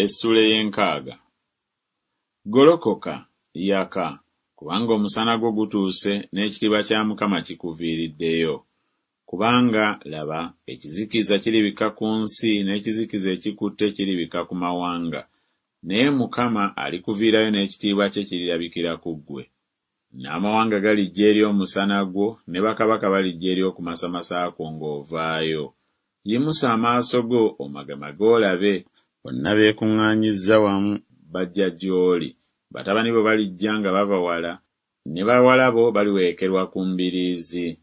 Essuula ey'enkaaga. Golokoka, yaka, kubanga omusana gwo gutuuse n'ekitiibwa kya Mukama kikuviiriddeyo. Kubanga, laba, ekizikiza kiribikka ku nsi n'ekizikiza ekikutte kiribikka ku mawanga, naye Mukama alikuviirayo n'ekitiibwa kye kirirabikira ku ggwe. N'amawanga galijja eri omusana gwo, ne bakabaka balijja eri okumasamasa kwo ng'ovaayo. Yimusa amaaso go omagemage olabe, bonna beekuŋŋaanyizza wamu bajja gy'oli, batabani bo balijja nga bava wala, ne bawala bo baliwerekerwa ku mbiriizi.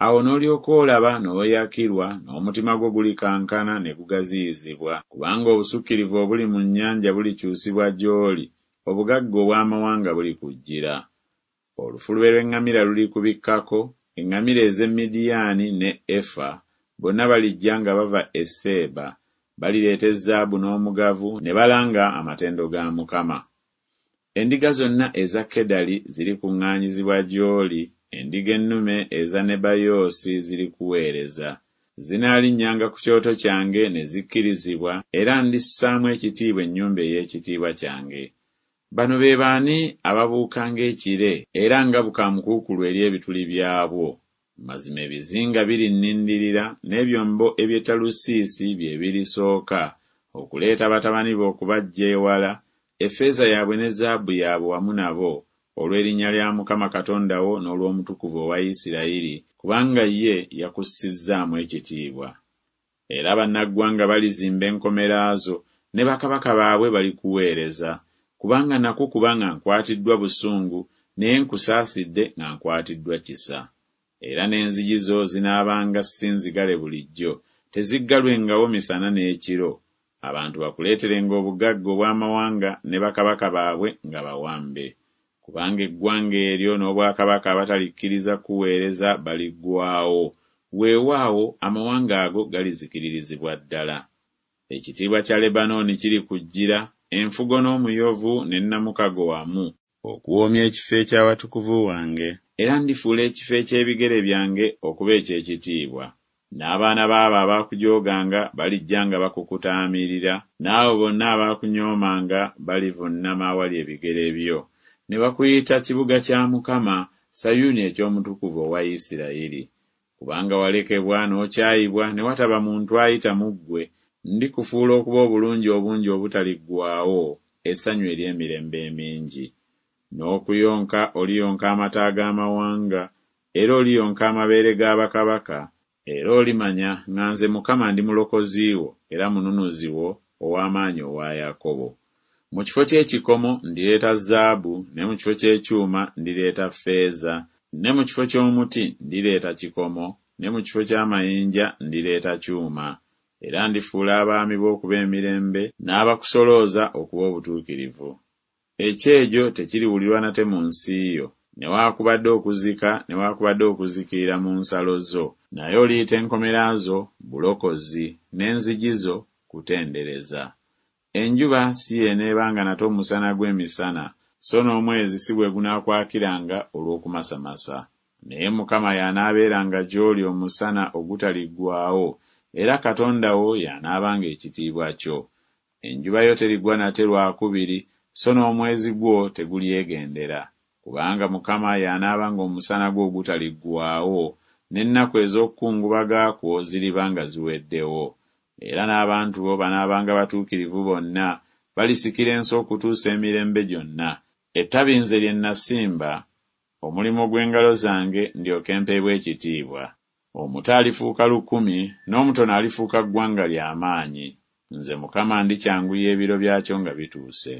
Awo n'olyoka olaba n'oyakirwa, n'omutima gwo gulikankana ne gugaziyizibwa, kubanga obusukkirivu obuli mu nnyanja bulikyusibwa gy'oli, obugagga obw'amawanga bulikujjira. Olufulube lw'eŋŋamira lulikubikkako, eŋŋamira ez'e Midiyaani ne Efa, bonna balijja nga bava e Seeba, balireeta ezaabu n'omugavu, ne balanga amatendo ga Mukama. Endiga zonna eza Kedali zirikuŋŋaanyizibwa gy'oli, endiga ennume eza Nebayoosi zirikuweereza. Zinaalinnyanga ku kyoto kyange ne zikkirizibwa, era ndissaamu ekitiibwa ennyumba ey'ekitiibwa kyange. Bano be baani ababuuka ng'ekire era nga bukaamukuukulu eri ebituli byabwo? Mazima ebizinga birinnindirira, n'ebyombo eby'e Talusiisi bye birisooka, okuleeta batabani bo okubaggya ewala, effeeza yaabwe ne zaabu yaabwe wamu nabo, olw'erinnya lya Mukama Katonda wo n'olw'Omutukuvu owa Isirayiri, kubanga ye yakussizzaamu ekitiibwa. Era bannaggwanga balizimba enkomera zo, ne bakabaka baabwe balikuweereza. Kubanga nakukuba nga nkwatiddwa busungu, naye nkusaasidde nga nkwatiddwa kisa. Era n'enzigi zo zinaabanga si nzigale bulijjo, teziggalwengawo misana n'ekiro, abantu bakuleeterenga obugagga obw'amawanga ne bakabaka baabwe nga bawambe. Kubanga eggwanga eryo n'obwakabaka abatalikkiriza kukuweereza baliggwaawo, weewaawo, amawanga ago galizikiririzibwa ddala. Ekitiibwa kya Lebanooni kirikujjira, enfugo n'omuyovu ne nnamukago wamu, okuwoomya ekifo eky'awatukuvu wange, era ndifuula ekifo eky'ebigere byange okuba eky'ekitiibwa. N'abaana b'abo abaakujooganga balijja nga bakukutaamirira, n'abo bonna abaakunyoomanga balivunnama awali ebigere byo, ne bakuyita kibuga kya Mukama, Sayuuni eky'Omutukuvu owa Isirayiri. Kubanga walekebwa n'okyayibwa ne wataba muntu ayita mu ggwe, ndikufuula okuba obulungi obungi obutaliggwaawo, essanyu ery'emirembe emingi. N'okuyonka oliyonka amata ag'amawanga, era oliyonka amabeere ga bakabaka, era olimanya nga nze Mukama ndi Mulokozi wo era Mununuzi wo, Ow'amaanyi owa Yakobo. Mu kifo ky'ekikomo ndireeta zaabu, ne mu kifo ky'ekyuma ndireeta ffeeza, ne mu kifo ky'omuti ndireeta kikomo, ne mu kifo ky'amayinja ndireeta kyuma. Era ndifuula abaami bo okuba emirembe, n'abakusolooza okuba obutuukirivu. Ekyejo tekiriwulirwa nate mu nsi yo, newaakubadde okuzika newaakubadde okuzikirira mu nsalo zo, naye oliyita enkomera zo Bulokozi, n'enzigi zo Kutendereza. Enjuba si y'eneebanga nate omusana gwo emisana, so n'omwezi si gwe gunaakwakiranga olw'okumasamasa. Naye Mukama y'anaabeeranga gy'oli omusana ogutaliggwaawo, era Katonda wo y'anaabanga ekitiibwa kyo. Enjuba yo terigwa nate lwakubiri, so n'omwezi gwo tegulyegendera, kubanga Mukama y'anaabanga omusana gwo ogutaliggwaawo, n'ennaku ez'okukungubaga kwo ziriba nga ziweddewo. Era n'abantu bo banaabanga batuukirivu bonna, balisikira ensi okutuusa emirembe gyonna. Ettabi nze lye nnasimba, omulimu gw'engalo zange, ndyoke mpeebwe ekitiibwa. Omuto alifuuka lukumi, n'omutono alifuuka ggwanga lya maanyi. Nze Mukama ndikyanguya ebiro byakyo nga bituuse.